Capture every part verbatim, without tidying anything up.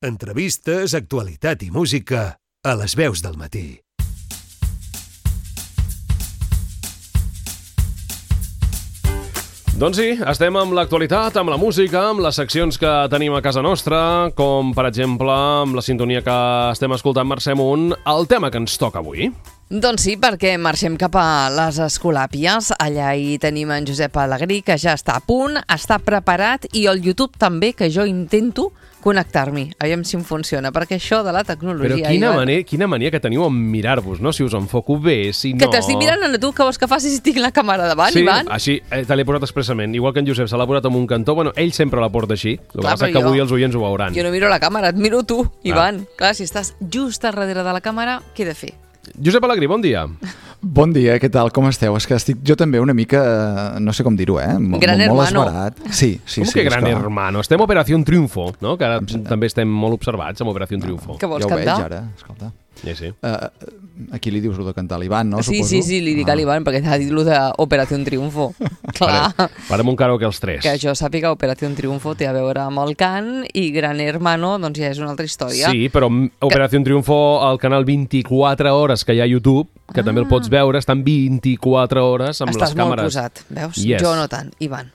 Entrevistes, actualitat i música a les veus del matí. Doncs sí, estem amb l'actualitat, amb la música, amb les seccions que tenim a casa nostra, com per exemple amb la sintonia que estem escoltant Mercè Munt, el tema que ens toca avui. Doncs sí, perquè marxem cap a les Escolàpies. Allà hi tenim en Josep Alegrí, que ja està a punt, està preparat, i el YouTube també, que jo intento connectar-m'hi. Aviam si em funciona, perquè això de la tecnologia... Però quina, ja... mania, quina mania que teniu en mirar-vos, no? Si us enfoco bé, si no... Que t'estic mirant a tu, que vols que facis si tinc la càmera davant, sí, Ivan? Sí, així, eh, te l'he posat expressament. Igual que en Josep se l'ha posat en un cantó, bueno, ell sempre la porta així. El que passa que avui jo, els oients ho veuran. Jo no miro la càmera, et miro tu, Ivan. Ah. Clar, si estàs just a darrere de la càmera, què he de fer? Josep Alegrí, bon dia. Bon dia, què tal? Com esteu? És que estic jo també una mica, no sé com dir-ho, eh? M gran molt hermano. Esbarat. Sí, sí, com sí. que gran que... hermano? Estem a Operació Triunfo, no? Que ara també estem molt observats amb Operació Triunfo. Que vols ja ho cantar? veig ara, escolta. Sí, sí. Uh, aquí li dius lo de cantar a l'Ivan, no? Sí, Suposo? sí, sí, li dic ah. a l'Ivan, perquè t'ha dit lo d'Operació Triunfo. Clar. Farem, farem un karaoke els tres. Que jo sàpiga, Operació Triunfo té a veure amb el cant, i Gran Hermano, doncs ja és una altra història. Sí, però Operació que... Triunfo, al canal vint-i-quatre hores que hi ha a YouTube, que ah. també el pots veure, estan vint-i-quatre hores amb Estàs les càmeres. Estàs molt posat, veus? Yes. Jo no tant, Ivan.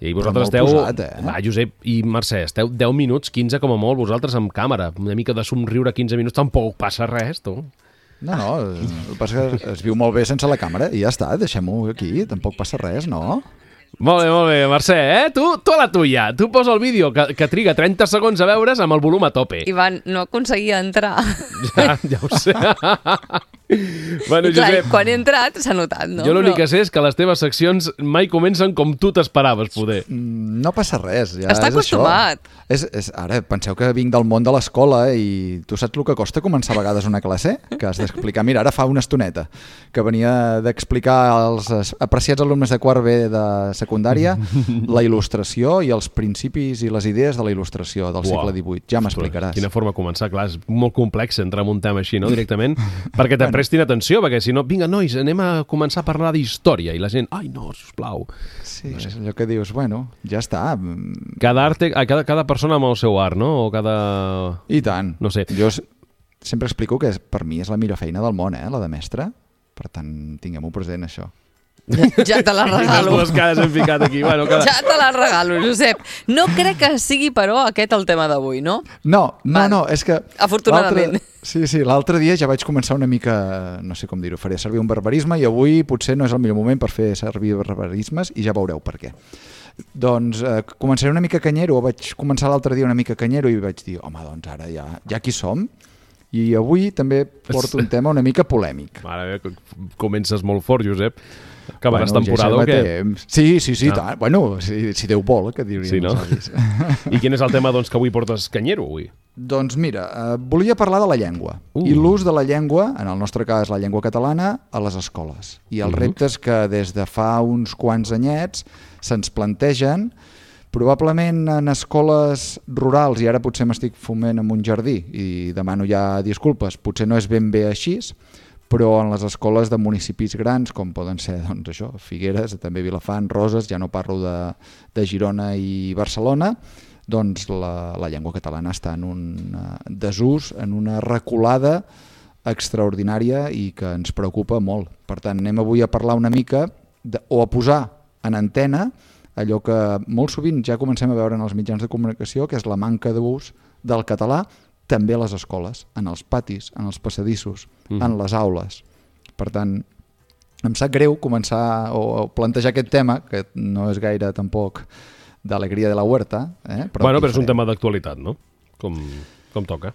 I vosaltres esteu... Posat, eh? Va, Josep i Mercè, esteu deu minuts, quinze com a molt, vosaltres amb càmera. Una mica de somriure quinze minuts, tampoc passa res, tu. No, no, el que passa que es viu molt bé sense la càmera i ja està, deixem-ho aquí, tampoc passa res, no? Molt bé, molt bé, Mercè, eh? Tu, tu a la tuya. Tu posa el vídeo que, que triga trenta segons a veure's amb el volum a tope. Ivan, no aconseguia entrar. Ja, ja ho sé. Bueno, I clar, Josep, quan he entrat s'ha notat, no? Jo l'únic Però... que sé és que les teves seccions mai comencen com tu t'esperaves, poder. No passa res, ja Està és acostumat. això. És, és, ara, penseu que vinc del món de l'escola i tu saps el que costa començar a vegades una classe? Que has d'explicar. Mira, ara fa una estoneta que venia d'explicar als apreciats alumnes de quart B de secundària la il·lustració i els principis i les idees de la il·lustració del segle divuit. Ja m'explicaràs. Quina forma de començar, clar, és molt complex entrar en un tema així, no?, directament, perquè te prestin atenció, perquè si no, vinga, nois, anem a començar a parlar d'història, i la gent, ai, no, sisplau. Sí, no sé. És allò que dius, bueno, ja està. Cada arte, cada, cada persona amb el seu art, no?, o cada... I tant. No sé. Jo sempre explico que per mi és la millor feina del món, eh, la de mestre. Per tant, tinguem-ho present, això. Ja, ja te la regalo. Les dues cares hem ficat aquí. Bueno, cada... Ja te la regalo, Josep. No crec que sigui, però, aquest el tema d'avui, no? No, no, no, és que... Afortunadament. Sí, sí, l'altre dia ja vaig començar una mica, no sé com dir-ho, faré servir un barbarisme i avui potser no és el millor moment per fer servir barbarismes i ja veureu per què. Doncs eh, començaré una mica canyero, vaig començar l'altre dia una mica canyero i vaig dir, home, doncs ara ja, ja aquí som. I avui també porto un tema una mica polèmic. Mare meva, comences molt fort, Josep. Acabaràs bueno, temporada ja o què? Temps. Sí, sí, sí, ah. tant. Bueno, si, si Déu vol, que diríem sí, no? I quin és el tema doncs, que avui portes canyero, avui? Doncs mira, eh, volia parlar de la llengua uh. i l'ús de la llengua, en el nostre cas la llengua catalana, a les escoles. I els uh -huh. reptes que des de fa uns quants anyets se'ns plantegen, probablement en escoles rurals, i ara potser m'estic fumant en un jardí i demano ja disculpes, potser no és ben bé així, però en les escoles de municipis grans, com poden ser doncs, això, Figueres, també Vilafant, Roses, ja no parlo de, de Girona i Barcelona, doncs la, la llengua catalana està en un uh, desús, en una reculada extraordinària i que ens preocupa molt. Per tant, anem avui a parlar una mica de, o a posar en antena allò que molt sovint ja comencem a veure en els mitjans de comunicació, que és la manca d'ús del català també a les escoles, en els patis, en els passadissos, mm. en les aules. Per tant, em sap greu començar o plantejar aquest tema, que no és gaire tampoc d'alegria de la huerta. Eh? Però bueno, però és un tema d'actualitat, no? Com, com toca.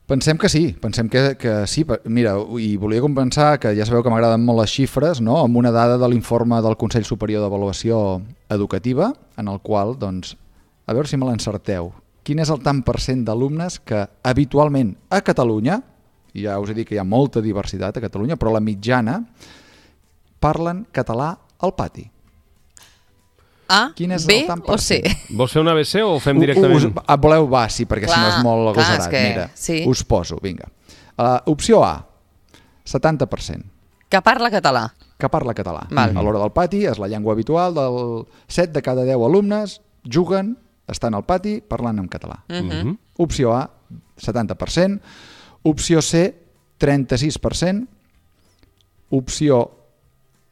Pensem que sí, pensem que, que sí. Mira, i volia compensar que ja sabeu que m'agraden molt les xifres, no? Amb una dada de l'informe del Consell Superior d'Avaluació Educativa, en el qual, doncs, a veure si me l'encerteu, quin és el tant per cent d'alumnes que habitualment a Catalunya, i ja us he dit que hi ha molta diversitat a Catalunya, però la mitjana, parlen català al pati. A, B o C? Vols fer una A B C o ho fem directament? Us, us, voleu va, sí, perquè clar, si no és molt agosarat. Que, mira, sí. Us poso, vinga. Uh, opció A, setanta per cent. Que parla català. Que parla català. Val. A l'hora del pati és la llengua habitual del set de cada deu alumnes juguen, estan al pati parlant en català. Uh-huh. Opció A, setanta per cent. Opció C, trenta-sis per cent. Opció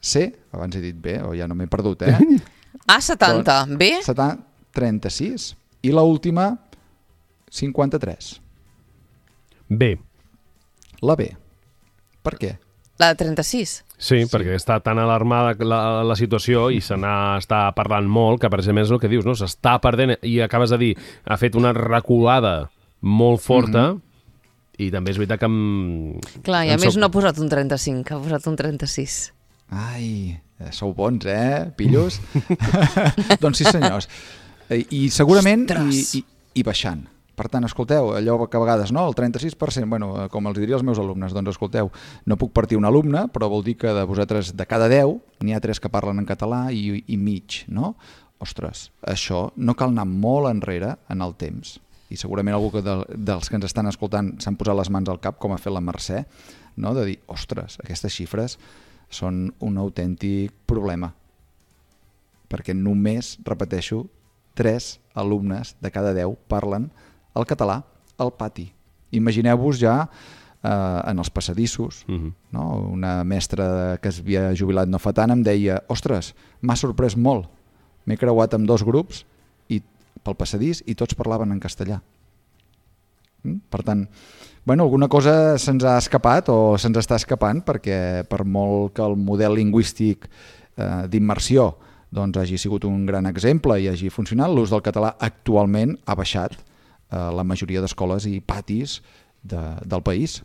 C, abans he dit B, o ja no m'he perdut, eh? A, setanta. B? setanta, trenta-sis. I l'última, cinquanta-tres. B. La B. Per què? La de trenta-sis? Sí, sí, perquè està tan alarmada la, la situació i se n'està parlant molt que, per exemple, és el que dius, no? S'està perdent, i acabes de dir, ha fet una reculada molt forta, mm-hmm. i també és veritat que... Em... Clar, i a em més soc... no ha posat un trenta-cinc, ha posat un trenta-sis. Ai, sou bons, eh, pillos? Doncs sí, senyors. I, i segurament i, i, i baixant. Per tant, escolteu, allò que a vegades, no, el trenta-sis per cent, bueno, com els diria als meus alumnes, doncs escolteu, no puc partir un alumne, però vol dir que de vosaltres, de cada deu, n'hi ha tres que parlen en català i, i mig, no? Ostres, això no cal anar molt enrere en el temps. I segurament algú que de, dels que ens estan escoltant s'han posat les mans al cap, com ha fet la Mercè, no? De dir, ostres, aquestes xifres són un autèntic problema. Perquè només, repeteixo, tres alumnes de cada deu parlen el català al pati. Imagineu-vos ja eh, en els passadissos, uh-huh. no? Una mestra que es havia jubilat no fa tant em deia, ostres, m'ha sorprès molt, m'he creuat amb dos grups i, pel passadís i tots parlaven en castellà. Mm? Per tant, bueno, alguna cosa se'ns ha escapat o se'ns està escapant perquè per molt que el model lingüístic eh, d'immersió doncs, hagi sigut un gran exemple i hagi funcionat, l'ús del català actualment ha baixat la majoria d'escoles i patis de, del país.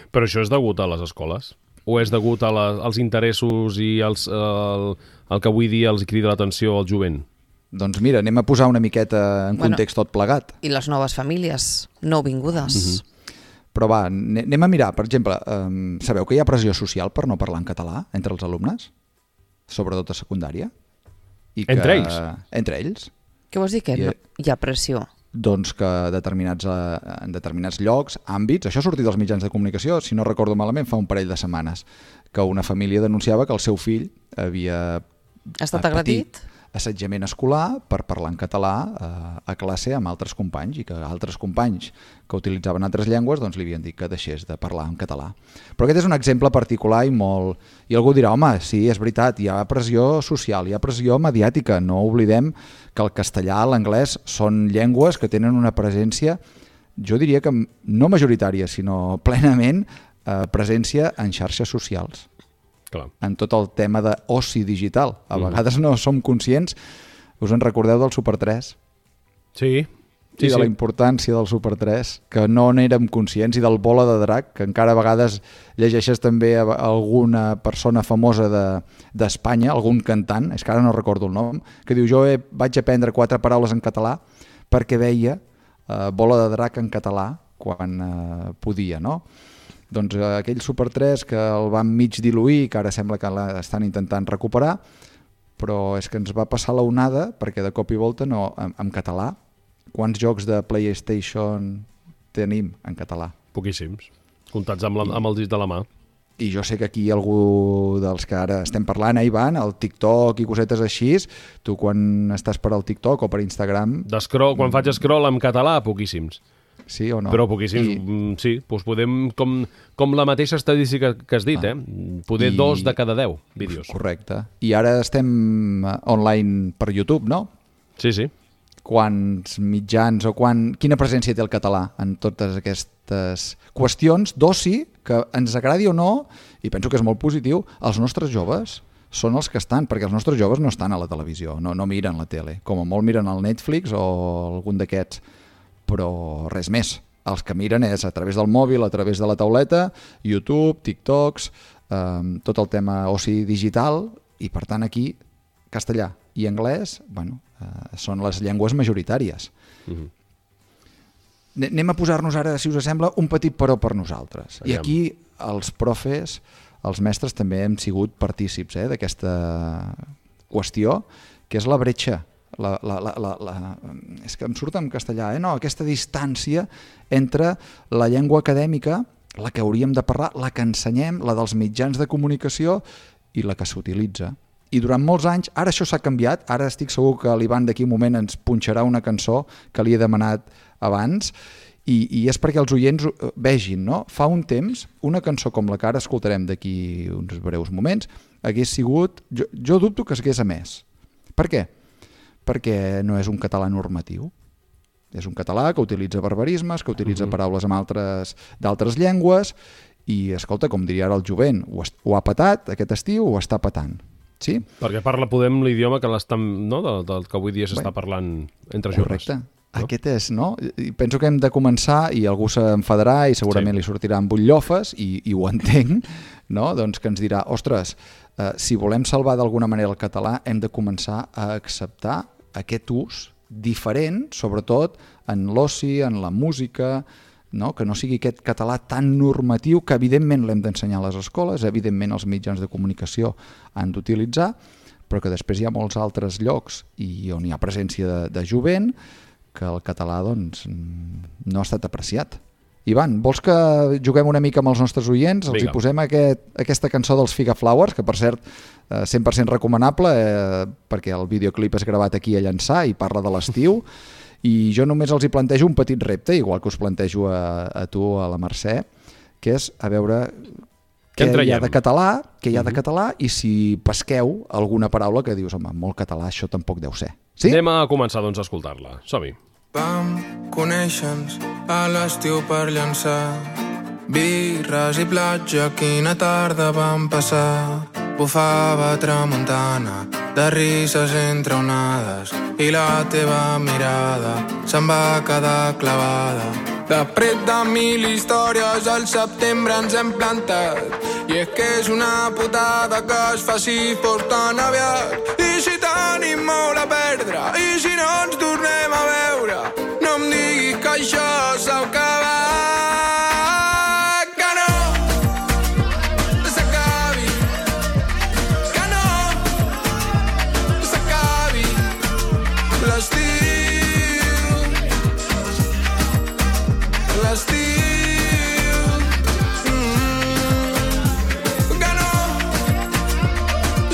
Però això és degut a les escoles? O és degut a la, als interessos i als, el, el que avui dia els crida l'atenció al jovent? Doncs mira, anem a posar una miqueta en bueno, context tot plegat. I les noves famílies nouvingudes. Uh-huh. Però va, anem a mirar, per exemple, um, sabeu que hi ha pressió social per no parlar en català entre els alumnes? Sobretot a secundària? I que, entre ells? Entre ells. Què vols dir que I, no, hi ha pressió? Doncs que determinats, en determinats llocs, àmbits, això ha sortit dels mitjans de comunicació, si no recordo malament, fa un parell de setmanes, que una família denunciava que el seu fill havia estat agredit assetjament escolar per parlar en català eh, a classe amb altres companys i que altres companys que utilitzaven altres llengües doncs li havien dit que deixés de parlar en català. Però aquest és un exemple particular i molt... I algú dirà, home, sí, és veritat, hi ha pressió social, hi ha pressió mediàtica, no oblidem que el castellà, l'anglès són llengües que tenen una presència, jo diria que no majoritària, sinó plenament eh, presència en xarxes socials. Clar. En tot el tema d'oci digital. A mm. vegades no som conscients, us en recordeu del Super tres? Sí. Sí, I de sí. la importància del Super tres, que no n'érem conscients, i del Bola de Drac, que encara a vegades llegeixes també a alguna persona famosa d'Espanya, de, algun cantant, és que ara no recordo el nom, que diu, jo he, vaig aprendre quatre paraules en català perquè veia eh, Bola de Drac en català quan eh, podia, no? Doncs eh, aquell Super tres que el van mig diluir, que ara sembla que l'estan intentant recuperar, però és que ens va passar la onada, perquè de cop i volta no, en, en català. Quants jocs de PlayStation tenim en català? Poquíssims, comptats amb, la, amb el dit de la mà. I jo sé que aquí algú dels que ara estem parlant, eh, Ivan, el TikTok i cosetes així, tu quan estàs per al TikTok o per Instagram... D'escroll, quan faig scroll en català, poquíssims. Sí o no? Però poquíssims, I... sí. Doncs podem, com, com la mateixa estadística que has dit, ah. eh? Poder I... dos de cada deu vídeos. Correcte. I ara estem online per YouTube, no? Sí, sí. Quants mitjans o quan... Quina presència té el català en totes aquestes qüestions d'oci que ens agradi o no, i penso que és molt positiu, els nostres joves són els que estan, perquè els nostres joves no estan a la televisió, no, no miren la tele, com a molt miren el Netflix o algun d'aquests, però res més. Els que miren és a través del mòbil, a través de la tauleta, YouTube, TikToks, eh, tot el tema oci digital, i per tant aquí castellà i anglès, bueno, eh, són les llengües majoritàries. Mm-hmm. Anem a posar-nos ara, si us sembla, un petit però per nosaltres. Aviam. I aquí els profes, els mestres també hem sigut partícips eh, d'aquesta qüestió, que és la bretxa. La, la, la, la, la, és que em surt en castellà, eh? No, aquesta distància entre la llengua acadèmica, la que hauríem de parlar, la que ensenyem, la dels mitjans de comunicació i la que s'utilitza. I durant molts anys, ara això s'ha canviat, ara estic segur que l'Ivan d'aquí un moment ens punxarà una cançó que li he demanat abans, I, i és perquè els oients vegin, no? Fa un temps, una cançó com la que ara escoltarem d'aquí uns breus moments, hagués sigut... Jo, jo dubto que s'hagués emès. Per què? Perquè no és un català normatiu. És un català que utilitza barbarismes, que utilitza uh-huh. paraules amb altres d'altres llengües, i, escolta, com diria ara el jovent, ho, ho ha patat aquest estiu, ho està patant. Sí? Perquè parla, podem, l'idioma que, no? del, del que avui dia s'està bueno, parlant entre joves. Correcte. No? Aquest és, no? I penso que hem de començar, i algú s'enfadarà i segurament sí. li sortiran butllofes, i, i ho entenc, no? Doncs que ens dirà, ostres, eh, si volem salvar d'alguna manera el català, hem de començar a acceptar aquest ús diferent, sobretot en l'oci, en la música, no? Que no sigui aquest català tan normatiu que evidentment l'hem d'ensenyar a les escoles, evidentment els mitjans de comunicació han d'utilitzar, però que després hi ha molts altres llocs i on hi ha presència de, de jovent que el català doncs, no ha estat apreciat. Ivan, vols que juguem una mica amb els nostres oients? Els hi posem aquest, aquesta cançó dels Figa Flowers, que per cert, eh, cent per cent recomanable, eh, perquè el videoclip és gravat aquí a Llançà i parla de l'estiu, i jo només els hi plantejo un petit repte, igual que us plantejo a, a tu, a la Mercè, que és a veure què hi ha de català, què hi ha de català, i si pesqueu alguna paraula que dius, home, molt català, això tampoc deu ser. Sí? Anem a començar, doncs, a escoltar-la. Som-hi. Vam conèixer-nos a l'estiu per Llançà, birres i platja, quina tarda vam passar. Bufava tramuntana, de risses entre onades, i la teva mirada se'n va quedar clavada. De pret de mil històries al setembre ens hem plantat, i és que és una putada que es faci fos tan aviat. I si tenim molt a perdre, i si no ens tornem a veure, no em diguis que això s'ha acabat. Que no s'acabi, que no s'acabi l'estiu, l'estiu, mm, que no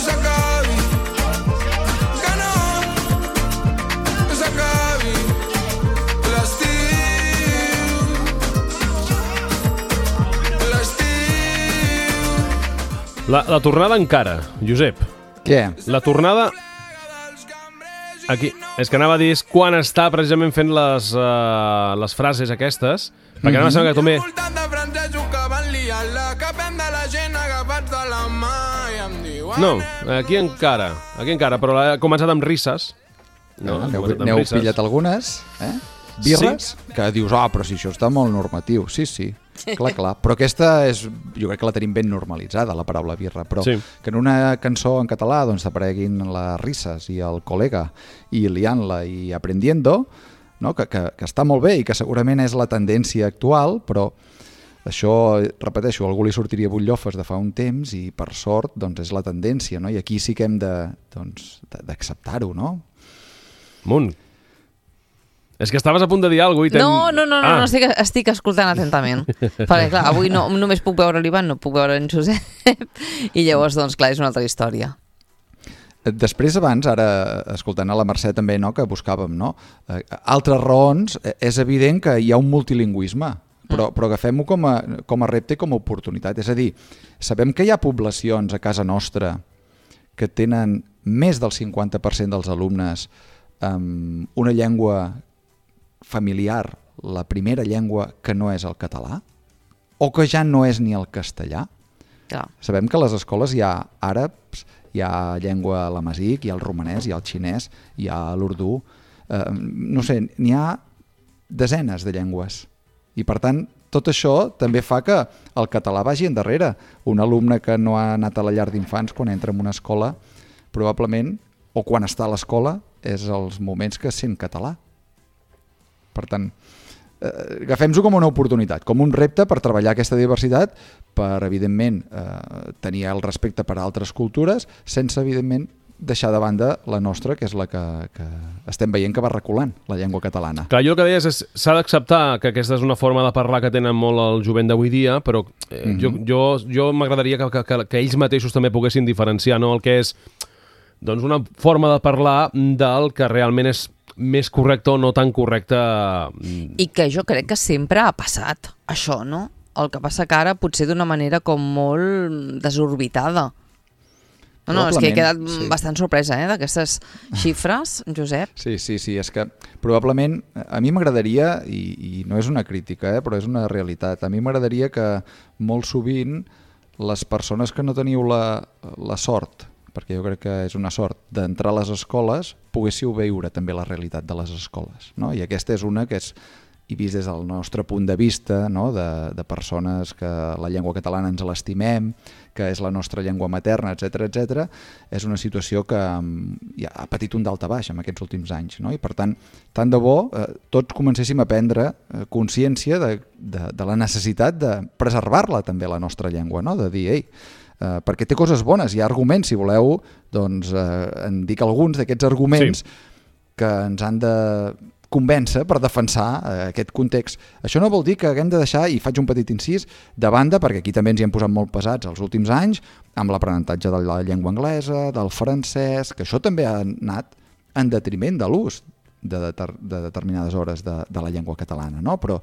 s'acabi, que no s'acabi l'estiu, l'estiu. La, la tornada encara, Josep. Què? La tornada... Aquí, és que anava a dir quan està precisament fent les, uh, les frases aquestes, perquè mm-hmm. anava a semblar que també... No, aquí encara, aquí encara, però ha començat amb risses. No, n'heu risses. Pillat algunes, eh? Birres, sí. Que dius, ah, oh, però si això està molt normatiu. Sí, sí, clar, clar. Però aquesta és, jo crec que la tenim ben normalitzada, la paraula birra, però sí. Que en una cançó en català doncs apareguin les risses i el col·lega i liant-la i aprendiendo, no? que, que, que està molt bé i que segurament és la tendència actual, però això, repeteixo, a algú li sortiria butllofes de fa un temps i per sort doncs és la tendència, no? I aquí sí que hem de, doncs, d'acceptar-ho, no? Munt. És que estaves a punt de dir alguna cosa i... No, no, no, no, ah. no estic, estic escoltant atentament. Perquè, clar, avui no, només puc veure l'Ivan, no puc veure en Josep, i llavors, doncs, clar, és una altra història. Després, abans, ara, escoltant a la Mercè també, no?, que buscàvem, no? Eh, altres raons, és evident que hi ha un multilingüisme, però, però agafem-ho com a, com a repte i com a oportunitat. És a dir, sabem que hi ha poblacions a casa nostra que tenen més del cinquanta per cent dels alumnes amb una llengua familiar, la primera llengua que no és el català, o que ja no és ni el castellà. Clar. Sabem que a les escoles hi ha àrabs, hi ha llengua l'amazic, hi ha el romanès, hi ha el xinès, hi ha l'urdú, eh, no sé, n'hi ha desenes de llengües. I per tant, tot això també fa que el català vagi endarrere. Un alumne que no ha anat a la llar d'infants quan entra en una escola, probablement, o quan està a l'escola, és els moments que sent català. Per tant, eh, agafem-ho com una oportunitat, com un repte per treballar aquesta diversitat, per, evidentment, eh, tenir el respecte per a altres cultures, sense, evidentment, deixar de banda la nostra, que és la que, que estem veient que va reculant, la llengua catalana. Clar, jo el que deies és s'ha d'acceptar que aquesta és una forma de parlar que tenen molt el jovent d'avui dia, però eh, mm-hmm. jo, jo, jo m'agradaria que, que, que ells mateixos també poguessin diferenciar, no?, el que és doncs, una forma de parlar del que realment és més correcte o no tan correcte. I que jo crec que sempre ha passat, això, no? El que passa que ara potser d'una manera com molt desorbitada. No, no, és que he quedat sí. bastant sorpresa eh, d'aquestes xifres, Josep. Sí, sí, sí, és que probablement a mi m'agradaria, i, i no és una crítica, eh, però és una realitat, a mi m'agradaria que molt sovint les persones que no teniu la, la sort, perquè jo crec que és una sort, d'entrar a les escoles, poguéssiu veure també la realitat de les escoles. No? I aquesta és una que és, i vist des del nostre punt de vista, no? de, de persones que la llengua catalana ens l'estimem, que és la nostra llengua materna, etcètera, etcètera, és una situació que ja ha patit un daltabaix en aquests últims anys. No? I per tant, tant de bo, eh, tots comencéssim a prendre eh, consciència de, de, de la necessitat de preservar-la també, la nostra llengua, no? De dir, ei, eh, perquè té coses bones, hi ha arguments, si voleu, doncs eh, en dic alguns d'aquests arguments sí. que ens han de convèncer per defensar eh, aquest context. Això no vol dir que haguem de deixar, i faig un petit incís, de banda, perquè aquí també ens hi hem posat molt pesats els últims anys, amb l'aprenentatge de la llengua anglesa, del francès, que això també ha anat en detriment de l'ús de, deter, de determinades hores de, de la llengua catalana, no? Però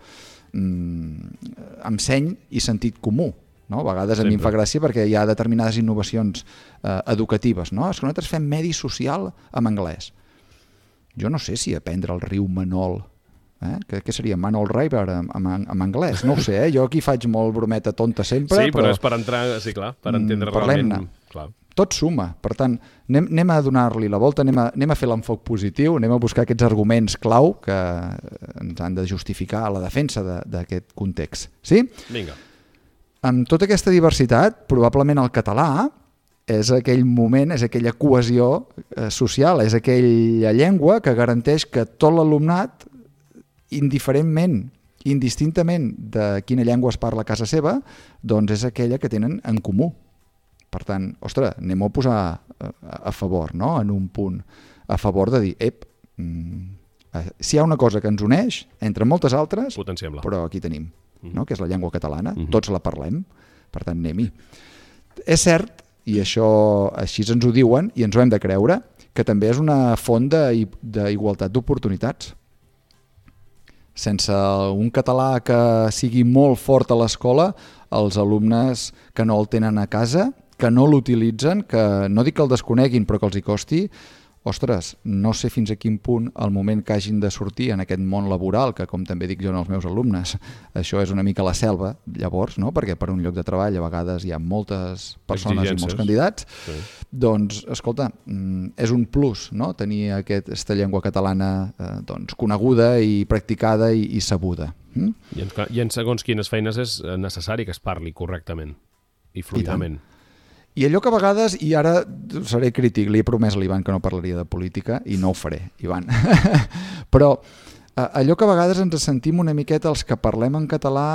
mm, amb seny i sentit comú. No? A vegades a mi em fa gràcia perquè hi ha determinades innovacions eh, educatives. No? És que nosaltres fem medi social en anglès. Jo no sé si aprendre el riu Manol, eh? que, que seria Manol River en, en, en anglès, no ho sé, eh? Jo aquí faig molt brometa tonta sempre. Sí, però, però és per entrar, sí, clar, per entendre realment. Clar. Tot suma, per tant, anem, anem a donar-li la volta, anem a, anem a fer l'enfoc positiu, anem a buscar aquests arguments clau que ens han de justificar a la defensa d'aquest context. Sí? Vinga. Amb tota aquesta diversitat, probablement el català és aquell moment, és aquella cohesió eh, social, és aquella llengua que garanteix que tot l'alumnat, indiferentment, indistintament de quina llengua es parla a casa seva, doncs és aquella que tenen en comú. Per tant, ostres, anem-ho a posar a, a favor, no? En un punt, a favor de dir, ep, mm, si hi ha una cosa que ens uneix, entre moltes altres, potenciem-la. Però aquí tenim, no? Que és la llengua catalana, uh-huh. Tots la parlem, per tant, anem-hi. És cert, i això així ens ho diuen i ens ho hem de creure, que també és una font d'igualtat d'oportunitats. Sense un català que sigui molt fort a l'escola, els alumnes que no el tenen a casa, que no l'utilitzen, que no dic que el desconeguin però que els hi costi, ostres, no sé fins a quin punt el moment que hagin de sortir en aquest món laboral, que com també dic jo als meus alumnes, això és una mica la selva, llavors, no? Perquè per un lloc de treball a vegades hi ha moltes persones i molts candidats, sí. Doncs, escolta, és un plus, no? Tenir aquesta llengua catalana eh, doncs, coneguda i practicada i, i sabuda. Mm? I, en, I en segons quines feines és necessari que es parli correctament i fluidament. I I allò que a vegades, i ara seré crític, li he promès a l'Ivan que no parlaria de política i no ho faré, Ivan. Però allò que a vegades ens sentim una miqueta els que parlem en català,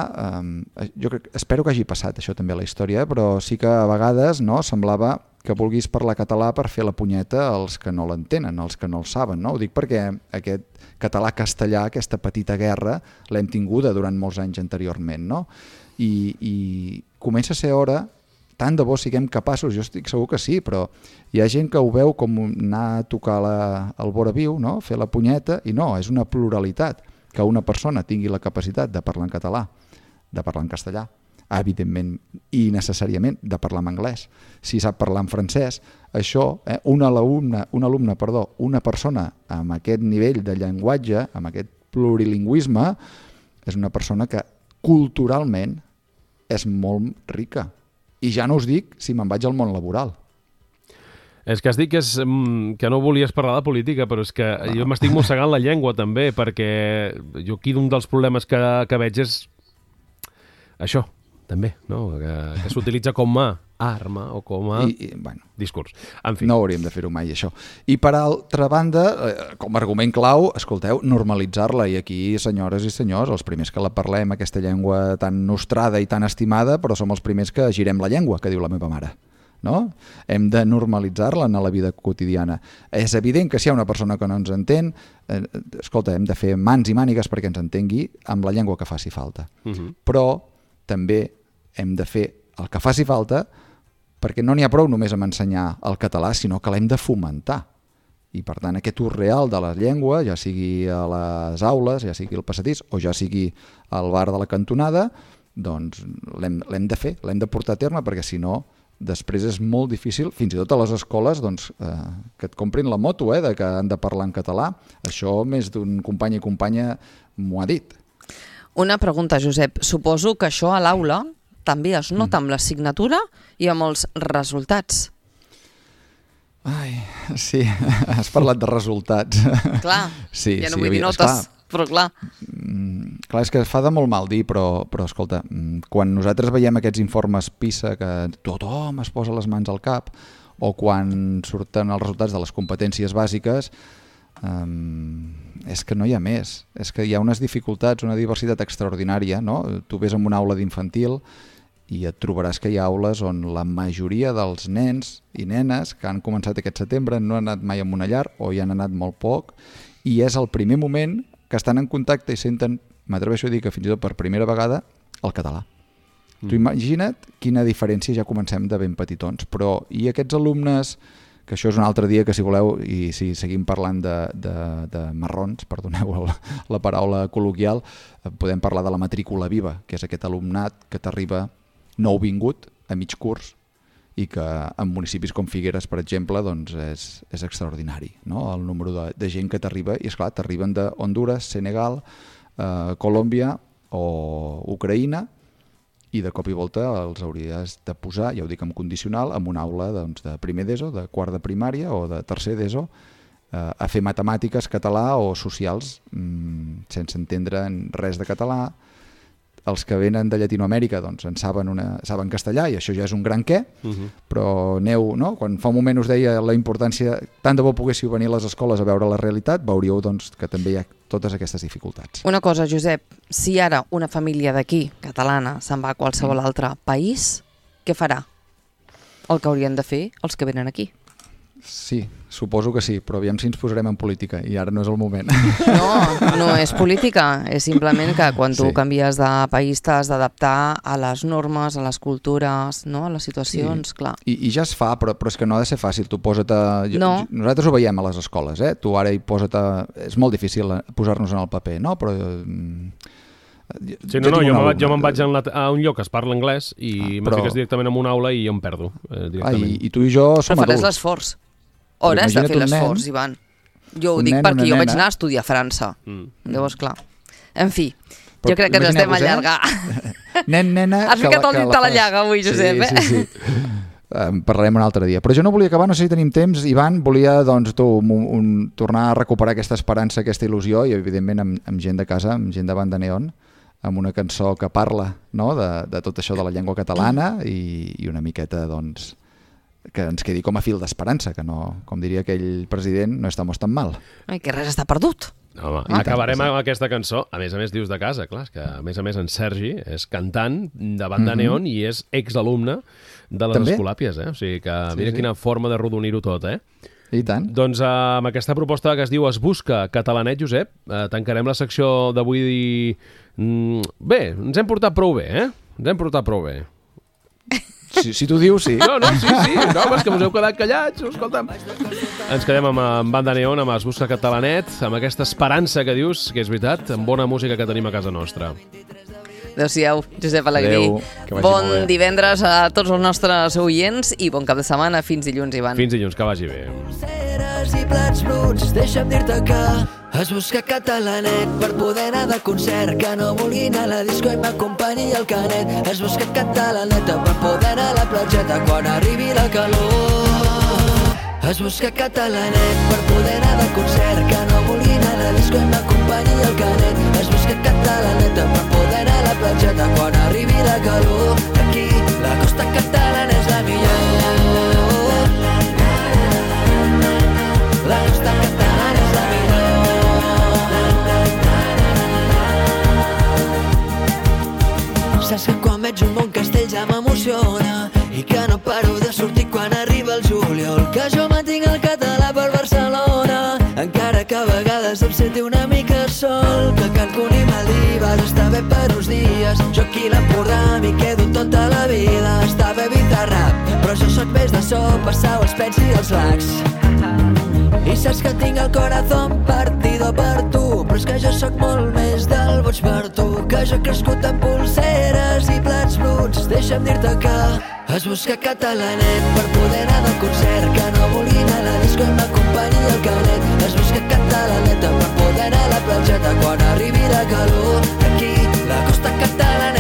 eh, jo crec, espero que hagi passat això també a la història, però sí que a vegades no, semblava que vulguis parlar català per fer la punyeta als que no l'entenen, als que no el saben. No? Ho dic perquè aquest català-castellà, aquesta petita guerra, l'hem tinguda durant molts anys anteriorment. No? I, I comença a ser hora, tant de bo siguem capaços, jo estic segur que sí, però hi ha gent que ho veu com anar a tocar la, el vora viu, no? Fer la punyeta, i no, és una pluralitat que una persona tingui la capacitat de parlar en català, de parlar en castellà, evidentment i necessàriament de parlar en anglès. Si sap parlar en francès, això, eh, un alumne, un alumne, perdó, una persona amb aquest nivell de llenguatge, amb aquest plurilingüisme, és una persona que culturalment és molt rica. I ja no us dic si me'n vaig al món laboral. És que has dit que, és, que no volies parlar de política, però és que no. Jo m'estic mossegant la llengua també, perquè jo aquí un dels problemes que, que veig és això, també, no? que, que s'utilitza com a arma o com a I, i, bueno, discurs. En fi. No hauríem de fer-ho mai, això. I per altra banda, com a argument clau, escolteu, normalitzar-la. I aquí, senyores i senyors, els primers que la parlem, aquesta llengua tan nostrada i tan estimada, però som els primers que girem la llengua, que diu la meva mare. No? Hem de normalitzar-la en la vida quotidiana. És evident que si hi ha una persona que no ens entén, eh, escolta, hem de fer mans i mànigues perquè ens entengui amb la llengua que faci falta. Uh-huh. Però també hem de fer el que faci falta perquè no n'hi ha prou només amb ensenyar el català, sinó que l'hem de fomentar. I, per tant, aquest ús real de la llengua, ja sigui a les aules, ja sigui al passadís o ja sigui al bar de la cantonada, doncs l'hem de fer, l'hem de portar a terme, perquè si no, després és molt difícil, fins i tot a les escoles, doncs, eh, que et comprin la moto, eh, de que han de parlar en català. Això més d'un company i companya m'ho ha dit. Una pregunta, Josep. Suposo que això a l'aula també es nota amb l'assignatura i amb els resultats. Ai, sí, has parlat de resultats. Clar, sí, ja no sí, vull dir havia- notes, esclar. però clar. Mm, clar, és que fa de molt mal dir, però, però escolta, mm, quan nosaltres veiem aquests informes PISA que tothom es posa les mans al cap, o quan surten els resultats de les competències bàsiques, um, és que no hi ha més. És que hi ha unes dificultats, una diversitat extraordinària, no? Tu ves en una aula d'infantil i et trobaràs que hi ha aules on la majoria dels nens i nenes que han començat aquest setembre no han anat mai a una llar o hi han anat molt poc, i és el primer moment que estan en contacte i senten, m'atreveixo a dir que fins i tot per primera vegada, el català. Mm. Tu imagina't quina diferència, ja comencem de ben petitons. Però i aquests alumnes, que això és un altre dia que si voleu, i si seguim parlant de, de, de marrons, perdoneu el, la paraula col·loquial, podem parlar de la matrícula viva, que és aquest alumnat que t'arriba nouvingut a mig curs i que en municipis com Figueres, per exemple, doncs és, és extraordinari, no? El número de, de gent que t'arriba, i esclar, t'arriben de Honduras, Senegal, eh, Colòmbia o Ucraïna, i de cop i volta els hauries de posar, ja ho dic en condicional, en una aula doncs, de primer d'ESO, de quart de primària o de tercer d'ESO, eh, a fer matemàtiques, català o socials, mmm, sense entendre res de català. Els que venen de Llatinoamèrica doncs, en saben, una, saben castellà, i això ja és un gran què, uh-huh. Però aneu, no? Quan fa un moment us deia la importància, tant de bo poguéssiu venir a les escoles a veure la realitat, veuríeu doncs, que també hi ha totes aquestes dificultats. Una cosa, Josep, si ara una família d'aquí, catalana, se'n va a qualsevol altre país, què farà? El que haurien de fer els que venen aquí. Sí, suposo que sí, però aviam si ens posarem en política, i ara no és el moment. No, no és política, és simplement que quan tu Sí. canvies de país t'has d'adaptar a les normes, a les cultures, no? A les situacions, Sí. clar. I, I ja es fa, però, però és que no ha de ser fàcil. Tu posa't a... No. Nosaltres ho veiem a les escoles, eh? Tu ara hi posa't a... És molt difícil posar-nos en el paper, no? Però... mm, Sí, no, no, jo, me, jo me'n vaig en la, a un lloc que es parla anglès i ah, me però... fiques directament en una aula i jo em perdo. Eh, ah, i, I tu i jo som però faràs adults. l'esforç. Hores de fer l'esforç, Ivan. Jo ho dic nen, perquè jo nena. vaig anar a estudiar a França. Mm. Llavors, clar. En fi, Però jo crec que ens estem imagineu-vos, allargant. Eh? Nen, nena... Has ficat el dit a la llaga avui, Josep, sí, eh? Sí, sí. En parlarem un altre dia. Però jo no volia acabar, no sé si tenim temps, Ivan, volia doncs, tu, un, un, tornar a recuperar aquesta esperança, aquesta il·lusió, i evidentment amb, amb gent de casa, amb gent de Banda Neon, amb una cançó que parla, no?, de, de tot això de la llengua catalana i, i una miqueta, doncs, que ens quedi com a fil d'esperança, que no, com diria aquell president, no estamos tan mal. Ai, que res està perdut. Home, ah, acabarem amb aquesta cançó, a més a més dius de casa, clar, que a més a més en Sergi és cantant de Banda mm-hmm. Neon i és exalumne de les També? Escolàpies, eh? O sigui que Sí, mira sí. quina forma de rodonir-ho tot, eh? I tant. Doncs eh, amb aquesta proposta que es diu Es busca catalanet, Josep, eh, tancarem la secció d'avui. Mm, bé, ens hem portat prou bé, eh? Ens hem portat prou bé. Si, si tu dius, sí. No, no, sí, sí. No, és que us heu quedat callats, escolta'm. Ens quedem amb, amb Banda Neon, amb Es busca catalanet, amb aquesta esperança que dius, que és veritat, amb bona música que tenim a casa nostra. Adéu-siau, Josep Alegrí. Adéu, que vagi Bon molt bé. divendres a tots els nostres oients i bon cap de setmana. Fins dilluns, Ivan. Fins dilluns, que vagi bé. Ceres i plats bruts, deixa'm dir-te que es busca catalanet per poder anar de concert, que no vulgui anar a la disco i m'acompanyi el canet. Es busca catalaneta per poder anar a la platgeta quan arribi la calor. Es busca catalanet per poder anar de concert, que no vulgui anar a la disco i m'acompanyi el canet. Es busca catalaneta per poder anar a la platgeta quan arribi la calor. Aquí la costa catalana és la millor. La costa catalana és la millor. Saps que quan veig un bon castell ja m'emociona i que no paro de sortir quan arriba el juliol, que jo mantinc el català per Barcelona, encara que a vegades em senti una mica sol, que Cancún i Maldives està bé per uns dies, jo aquí a l'Empordà m'hi quedo tota la vida. Està bé Bizarrap, però jo sóc més de so, passar els pets i els lacs. I saps que tinc el corazón partido per tu, però és que jo sóc molt més del boig per tu, que jo he crescut amb pulseres i plats bruts. Deixa'm dir-te que has buscat catalanet per poder anar de concert, que no volia anar a la disco i m'acompanyi el canet. Has buscat catalaneta per poder anar a la platgeta quan arribi la calor. Aquí, la costa catalana